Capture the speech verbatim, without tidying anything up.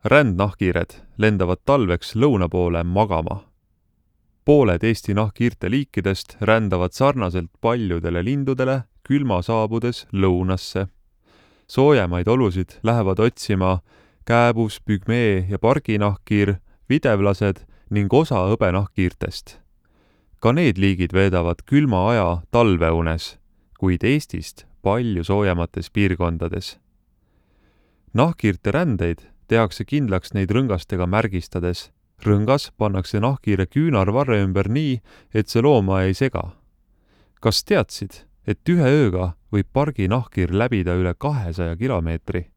Rändnahkhiired lendavad talveks lõuna poole magama. Pooled Eesti nahkhiirte liikidest rändavad sarnaselt paljudele lindudele külma saabudes lõunasse. Soojemaid olusid lähevad otsima kääbus, pügmee ja parginahkhiir, videvlased ning osa hõbenahkhiirtest. Ka need liigid veedavad külma aja talveunes, kuid Eestist palju soojemates piirkondades. Nahkhiirte rändeid tehakse kindlaks neid rõngastega märgistades. Rõngas pannakse nahkhiire küünarvarre ümber nii, et see looma ei sega. Kas teadsid, et ühe ööga võib pargi nahkhiir läbida üle kahesaja kilomeetri?